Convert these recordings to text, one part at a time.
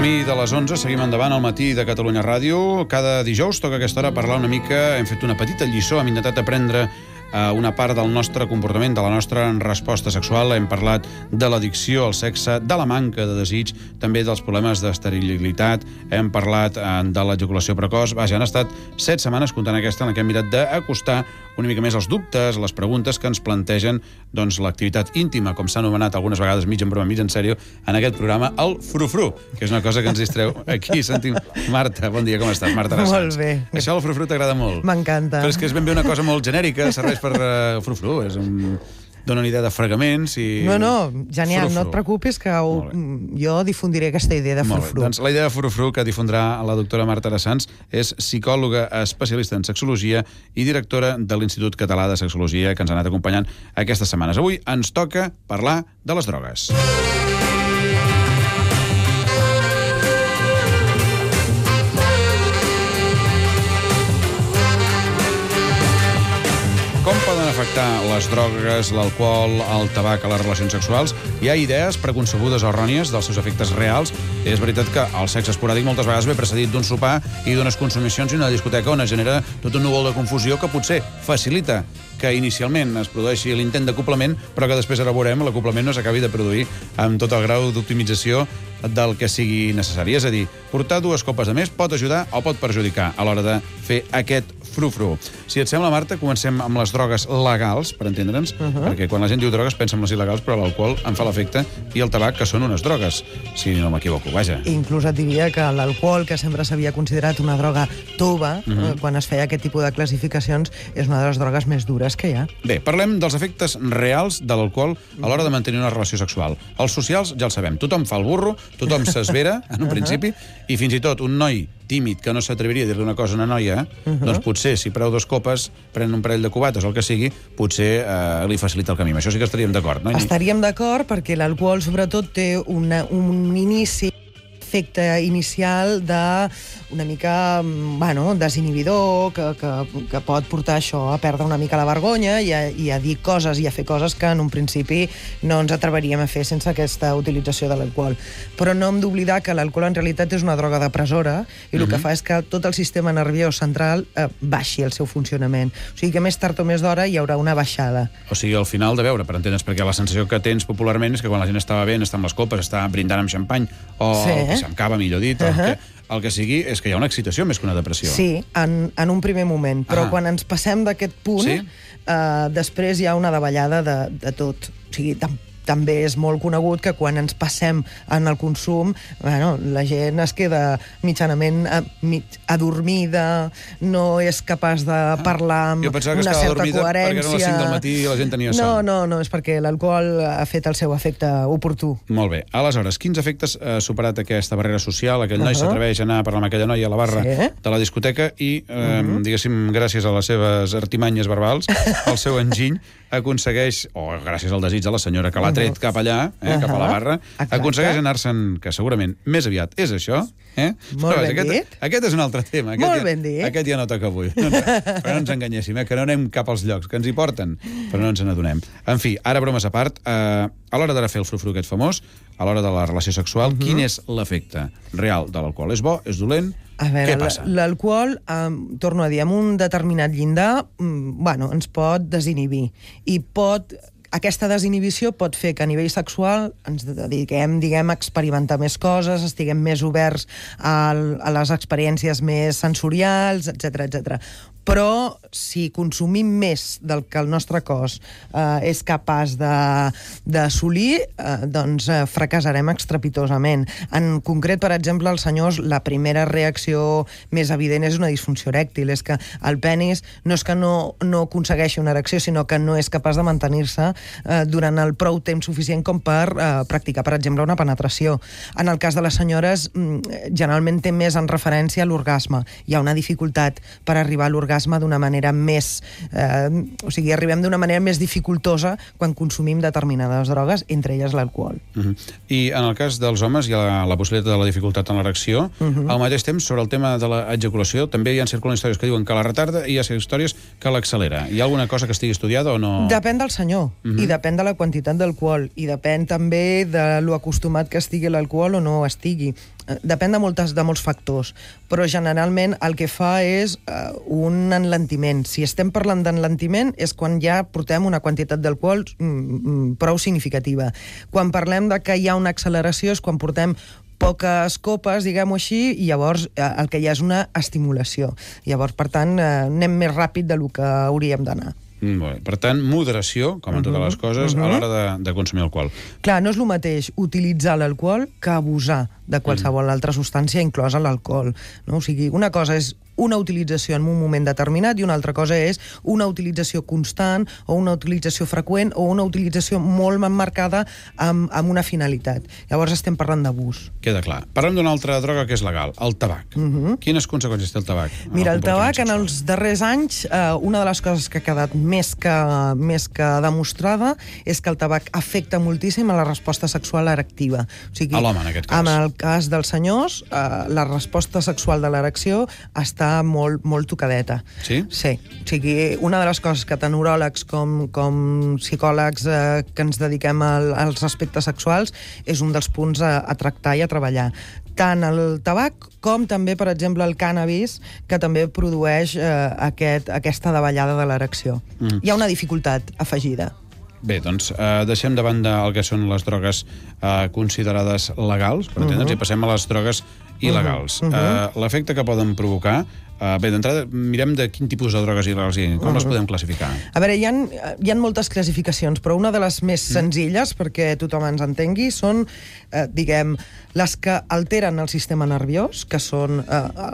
camí de les 11, seguim endavant al matí de Catalunya Ràdio. Cada dijous toca a aquesta hora parlar una mica, hem fet una petita lliçó, hem intentat aprendre una part del nostre comportament, de la nostra resposta sexual. Hem parlat de l'addicció al sexe, de la manca de desig, també dels problemes d'esterilitat, hem parlat de l'ejaculació precoç. Vaja, han estat 7 setmanes comptant aquesta en què hem mirat d'acostar una mica més els dubtes, les preguntes que ens plantegen l'activitat íntima, com s'ha anomenat algunes vegades mig en broma, mig en sèrio, en aquest programa, el frufru, que és una cosa que ens distreu. Aquí sentim... Marta, bon dia, com estàs? Marta Rassans. Molt bé. Això del frufru t'agrada molt? M'encanta. Però és que és ben bé una cosa molt genèrica, serveix per frufru, dona una idea de fregaments i... No, genial, no et preocupis que jo difundiré aquesta idea de frufru. Doncs la idea de frufru que difondrà la doctora Marta Rassans és psicòloga especialista en sexologia i directora de l'Institut Català de Sexologia, que ens ha anat acompanyant aquestes setmanes. Avui ens toca parlar de les drogues. Com poden afectar les drogues, l'alcohol, el tabac a les relacions sexuals? Hi ha idees preconcebudes o errònies dels seus efectes reals. És veritat que el sexe esporàdic moltes vegades ve precedit d'un sopar i d'unes consumicions i una discoteca on es genera tot un núvol de confusió que potser facilita que inicialment es produeixi l'intent d'acoplament, però que després ara veurem l'acoplament no s'acabi de produir amb tot el grau d'optimització del que sigui necessari. És a dir, portar 2 copes de més pot ajudar o pot perjudicar a l'hora de fer aquest frufru. Si et sembla, Marta, comencem amb les drogues legals, per entendre'ns, perquè quan la gent diu drogues pensa en les il·legals, però l'alcohol en fa l'efecte i el tabac, que són unes drogues, si no m'equivoco, vaja. Inclús et diria que l'alcohol, que sempre s'havia considerat una droga tova, quan es feia aquest tipus de classificacions, és una de les drogues més dures que hi ha. Bé, parlem dels efectes reals de l'alcohol a l'hora de mantenir una relació sexual. Els socials ja el sabem, tothom fa el burro, tothom s'esvera, en un principi, i fins i tot un noi tímid que no s'atreviria a dir-li una cosa a una noia, doncs potser, si preu 2 copes, pren un parell de cubates o el que sigui, potser li facilita el camí. Amb això sí que estaríem d'acord, no? Estaríem d'acord perquè l'alcohol, sobretot, té un inici, efecte inicial una mica, desinhibidor, que pot portar això a perdre una mica la vergonya i a dir coses i a fer coses que en un principi no ens atreveríem a fer sense aquesta utilització de l'alcohol. Però no hem d'oblidar que l'alcohol en realitat és una droga depressora i el que fa és que tot el sistema nerviós central baixi el seu funcionament. O sigui que més tard o més d'hora hi haurà una baixada. O sigui, al final de veure, per entendre's, perquè la sensació que tens popularment és que quan la gent està bevent, està amb les copes, està brindant amb xampany o amb cava, millor dit, el que sigui és que hi ha una excitació més que una depressió. Sí, en un primer moment, però quan ens passem d'aquest punt, després hi ha una davallada de tot. O sigui, també és molt conegut que quan ens passem en el consum, la gent es queda mitjanament adormida, no és capaç de parlar amb una certa coherència. Jo pensava que estava adormida perquè eren les 5 del matí i la gent tenia son. No, és perquè l'alcohol ha fet el seu efecte oportú. Molt bé. Aleshores, quins efectes ha superat aquesta barrera social? Aquell noi s'atreveix a anar a parlar amb aquella noia a la barra de la discoteca i, diguéssim, gràcies a les seves artimanyes verbals, el seu enginy aconsegueix, o gràcies al desig de la senyora que l'ha tret cap allà, cap a la barra, aconsegueix anar-se'n, que segurament més aviat és això. Molt ben dit. Aquest és un altre tema. Molt ben dit. Aquest ja no toca avui. Però no ens enganyéssim, que no anem cap als llocs, que ens hi porten, però no ens n'adonem. En fi, ara bromes a part, a l'hora de fer el frufru aquest famós, a l'hora de la relació sexual, quin és l'efecte real de l'alcohol? És bo? És dolent? Què passa? L'alcohol, torno a dir, amb un determinat llindar, ens pot desinhibir. I aquesta desinhibició pot fer que a nivell sexual ens dediquem, a experimentar més coses, estiguem més oberts a les experiències més sensorials, etc. Però si consumim més del que el nostre cos és capaç d'assolir, doncs fracassarem estrepitosament. En concret, per exemple, els senyors, la primera reacció més evident és una disfunció erèctil, és que el penis no és que no aconsegueixi una erecció, sinó que no és capaç de mantenir-se durant el prou temps suficient com per practicar, per exemple, una penetració. En el cas de les senyores, generalment té més en referència a l'orgasme. Hi ha una dificultat per arribar a l'orgasme d'una manera més... o sigui, arribem d'una manera més dificultosa quan consumim determinades drogues, entre elles l'alcohol. I en el cas dels homes hi ha la possibilitat de la dificultat en l'erecció. Al mateix temps, sobre el tema de l'ejaculació, també hi ha circulant històries que diuen que la retarda i hi ha històries que l'accelera. Hi ha alguna cosa que estigui estudiada o no? Depèn del senyor, i depèn de la quantitat d'alcohol, i depèn també de lo acostumat que estigui l'alcohol o no estigui. depèn de molts factors, però generalment el que fa és un enlentiment. Si estem parlant d'enlentiment és quan ja portem una quantitat d'alcohol prou significativa. Quan parlem de que hi ha una acceleració és quan portem poques copes, diguem-ho així, i llavors el que hi ha és una estimulació. Llavors, per tant, anem més ràpid del que hauríem d'anar. Per tant, moderació, com en totes les coses, a l'hora de consumir alcohol. Clar, no és el mateix utilitzar l'alcohol que abusar de qualsevol altra substància, inclosa l'alcohol. No? O sigui, una cosa és una utilització en un moment determinat i una altra cosa és una utilització constant o una utilització freqüent o una utilització molt emmarcada amb una finalitat. Llavors estem parlant d'abús. Queda clar. Parlem d'una altra droga que és legal, el tabac. Quines conseqüències té el tabac? Mira, el tabac en els darrers anys, una de les coses que ha quedat més que demostrada és que el tabac afecta moltíssim a la resposta sexual erectiva. O sigui, a l'home, en aquest cas. En el cas dels senyors, la resposta sexual de l'erecció està molt tocadeta. Sí? Sí. O sigui, una de les coses que tant uròlegs com psicòlegs que ens dediquem als aspectes sexuals és un dels punts a tractar i a treballar. Tant el tabac com també, per exemple, el cànnabis, que també produeix aquesta davallada de l'erecció. Hi ha una dificultat afegida. Bé, doncs deixem de banda el que són les drogues considerades legals, per entendre'ns, i passem a les drogues il·legals. L'efecte que poden provocar... Bé, d'entrada, mirem de quin tipus de drogues il·legals hi ha, com les podem classificar? A veure, hi ha moltes classificacions, però una de les més senzilles, perquè tothom ens entengui, són, diguem, les que alteren el sistema nerviós, que són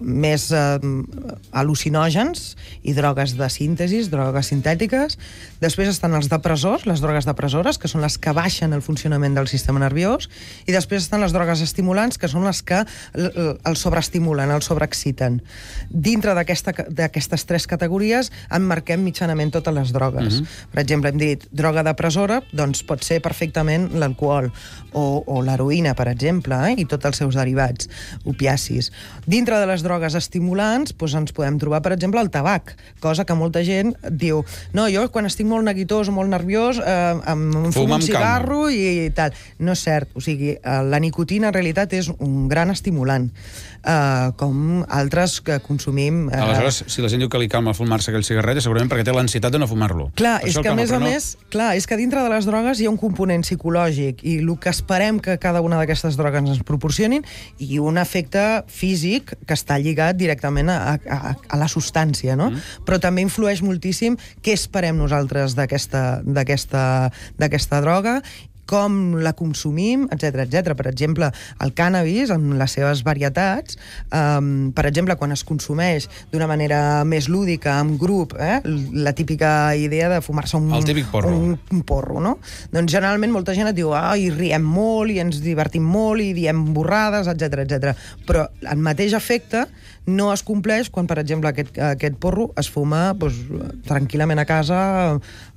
més al·lucinògens i drogues de síntesi, drogues sintètiques. Després estan els depressors, les drogues depressores, que són les que baixen el funcionament del sistema nerviós, i després estan les drogues estimulants, que són les que el sobreestimulen, el sobreexciten. Dintre d'aquestes tres categories emmarquem mitjanament totes les drogues. Per exemple, hem dit droga depressora, doncs pot ser perfectament l'alcohol o l'heroïna, per exemple, i tots els seus derivats, opiacis. Dintre de les drogues estimulants ens podem trobar, per exemple, el tabac, cosa que molta gent diu, no, jo quan estic molt neguitós o molt nerviós em fumo un cigarro i tal. No és cert. O sigui, la nicotina en realitat és un gran estimulant, com altres que consumim... Aleshores, si la gent diu que li calma fumar-se aquell cigarret, segurament perquè té l'ansietat de no fumar-lo. Clar, és que a més a més, és que dintre de les drogues hi ha un component psicològic i el que esperem que cada una d'aquestes drogues ens proporcionin i un efecte físic que està lligat directament a la substància, no? Però també influeix moltíssim què esperem nosaltres d'aquesta droga, com la consumim, etc etc. Per exemple, el cànnabis, amb les seves varietats, per exemple, quan es consumeix d'una manera més lúdica, en grup, la típica idea de fumar-se un porro, no? Doncs generalment molta gent et diu i riem molt, i ens divertim molt, i diem borrades, etc etc. Però el mateix efecte no es compleix quan, per exemple, aquest porro es fuma tranquil·lament a casa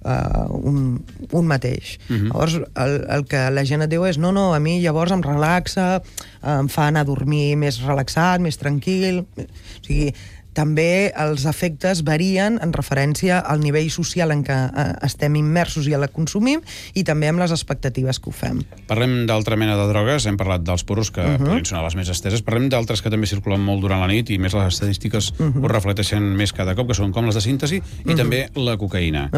un mateix. Llavors, el que la gent et diu és no, a mi llavors em relaxa, em fa anar a dormir més relaxat, més tranquil. O sigui, també els efectes varien en referència al nivell social en què estem immersos i la consumim i també amb les expectatives que ho fem. Parlem d'altra mena de drogues, hem parlat dels porros, que podrien sonar les més esteses, parlem d'altres que també circulen molt durant la nit i més les estadístiques ho reflecteixen més cada cop, que són com les de síntesi i també la cocaïna,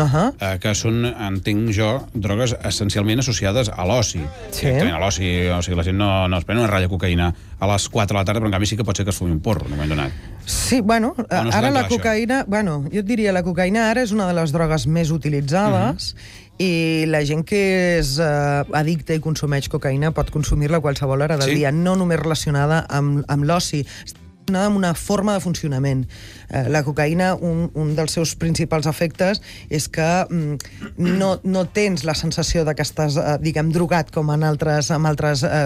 que són, entenc jo, drogues essencialment associades a l'oci. Directament a l'oci, o sigui, la gent no es pren una ratlla de cocaïna a les 4 de la tarda, però en canvi sí que pot ser que es fumi un porro en un moment donat. Sí, ara la cocaïna... jo et diria, la cocaïna ara és una de les drogues més utilitzades i la gent que és addicta i consumeix cocaïna pot consumir-la a qualsevol hora del dia, no només relacionada amb l'oci, amb una forma de funcionament. La cocaïna, un dels seus principals efectes és que no tens la sensació que estàs, diguem, drogat com amb altres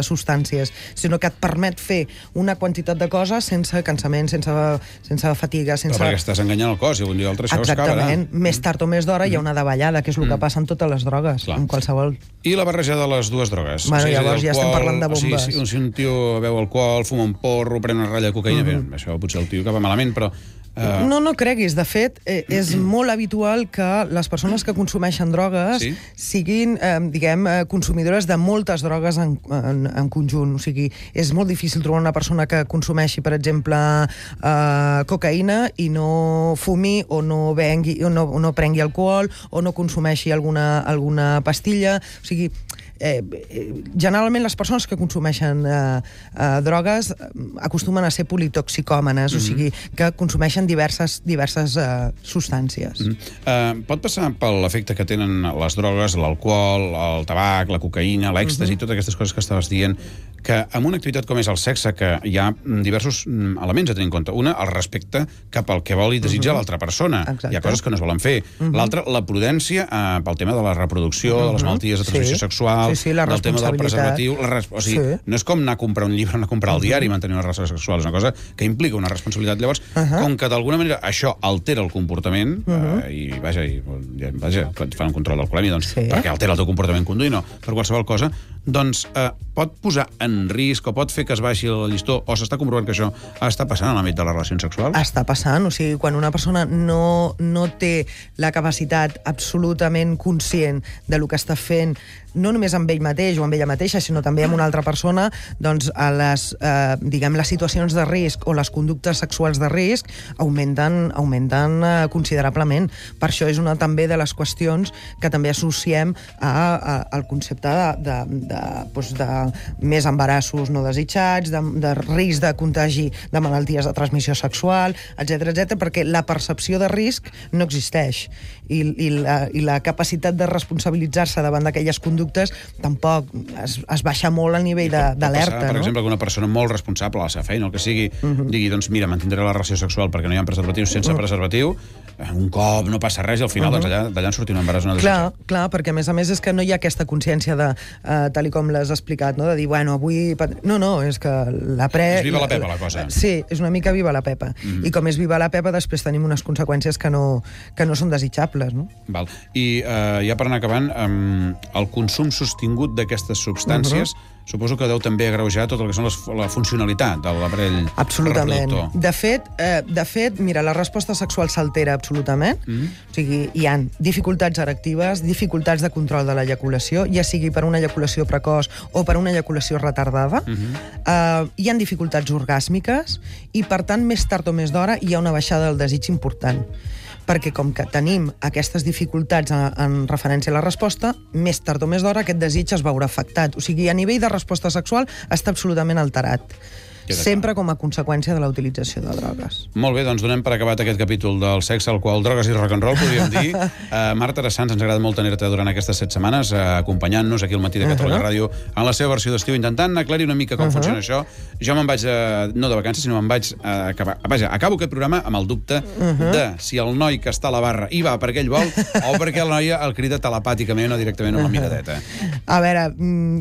substàncies, sinó que et permet fer una quantitat de coses sense cansament, sense fatiga, sense... Però perquè estàs enganyant el cos i un dia o altre això es acabarà. Exactament. Més tard o més d'hora hi ha una davallada, que és el que passa en totes les drogues, en qualsevol. I la barreja de les dues drogues? Llavors ja estem parlant de bombes. Si un tio beu alcohol, fuma un porro, pren una ratlla de cocaïna, bé, això potser el tio que va malament, però No creguis. De fet, és molt habitual que les persones que consumeixen drogues siguin, consumidores de moltes drogues en conjunt. O sigui, és molt difícil trobar una persona que consumeixi, per exemple, cocaïna i no fumi o no bengui, o no prengui alcohol o no consumeixi alguna pastilla. O sigui, generalment les persones que consumeixen drogues acostumen a ser politoxicòmanes, o sigui, que consumeixen diverses substàncies. Pot passar per l'efecte que tenen les drogues, l'alcohol, el tabac, la cocaïna, l'èxtasi, totes aquestes coses que estaves dient, que en una activitat com és el sexe, que hi ha diversos elements a tenir en compte. Una, el respecte cap al que vol i desitja l'altra persona. Hi ha coses que no es volen fer. L'altra, la prudència pel tema de la reproducció, de les malalties de transmissió sexual, del tema del preservatiu. O sigui, no és com anar a comprar un llibre, anar a comprar el diari i mantenir una relació sexual. És una cosa que implica una responsabilitat. Llavors, com que d'alguna manera això altera el comportament, i vaja, et fan un control d'alcoholèmia, doncs, perquè altera el teu comportament conduint, no, per qualsevol cosa, doncs pot posar en risc o pot fer que es baixi el llistó, o s'està comprovant que això està passant en l'àmbit de les relacions sexuals? Està passant, o sigui, quan una persona no té la capacitat absolutament conscient de lo que està fent, no només amb ell mateix o amb ella mateixa, sinó també amb una altra persona, doncs les situacions de risc o les conductes sexuals de risc augmenten considerablement. Per això és una també de les qüestions que també associem al concepte de més embarassos no desitjats, de risc de contagi de malalties de transmissió sexual, etc, perquè la percepció de risc no existeix i la capacitat de responsabilitzar-se davant d'aquelles conductes tampoc es baixa molt el nivell d'alerta. Per exemple, que una persona molt responsable a la seva feina, el que sigui, digui, doncs mira, mantindré la relació sexual perquè no hi ha preservatius, sense preservatiu, un cop no passa res i al final d'allà en sortir un embaràs no desitjat. Clar, perquè a més és que no hi ha aquesta consciència de, tal com l'has explicat, de dir, bueno, avui... No, és que és viva la Pepa, la cosa. Sí, és una mica viva la Pepa. I com és viva la Pepa, després tenim unes conseqüències que no són desitjables, no? Val. I ja per anar acabant, el consum sostingut d'aquestes substàncies suposo que deu també agreujar tot el que són la funcionalitat de l'aparell reproductor. Absolutament. De fet, mira, la resposta sexual s'altera absolutament. O sigui, hi ha dificultats erectives, dificultats de control de l'eyaculació, ja sigui per una eyaculació precoç o per una eyaculació retardada. Hi ha dificultats orgàsmiques i, per tant, més tard o més d'hora hi ha una baixada del desig important. Perquè com que tenim aquestes dificultats en referència a la resposta, més tard o més d'hora aquest desig es veurà afectat. O sigui, a nivell de resposta sexual està absolutament alterat. Sempre com a conseqüència de la utilització de drogues. Molt bé, doncs donem per acabat aquest capítol del sexe, al qual drogues i rock and roll, podríem dir. Marta Arassans, ens agrada molt tenir-te durant aquestes 7 setmanes, acompanyant-nos aquí al Matí de Catalunya Ràdio en la seva versió d'estiu, intentant aclarir una mica com funciona això. Jo me'n vaig, no de vacances, sinó me'n vaig acabar. Vaja, acabo aquest programa amb el dubte de si el noi que està a la barra hi va perquè ell vol o perquè la noia el crida telepàticament o directament amb la miradeta. A veure,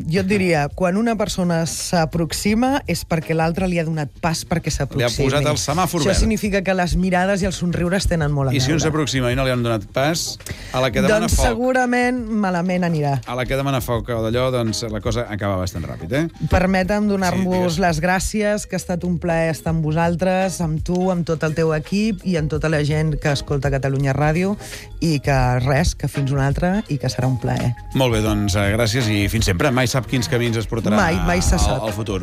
jo et diria, quan una persona s'aproxima és perquè l'altre li ha donat pas perquè s'aproximi. Li ha posat el semàfor verd. Això significa que les mirades i els somriures tenen molt a veure. I si un s'aproxima i no li han donat pas, a la que demana foc... Doncs segurament malament anirà. A la que demana foc o d'allò, doncs la cosa acaba bastant ràpid, Permetem donar-vos les gràcies, que ha estat un plaer estar amb vosaltres, amb tu, amb tot el teu equip i amb tota la gent que escolta Catalunya Ràdio i que res, que fins una altra i que serà un plaer. Molt bé, doncs gràcies i fins sempre. Mai sap quins camins es portarà mai se sap. Al futur.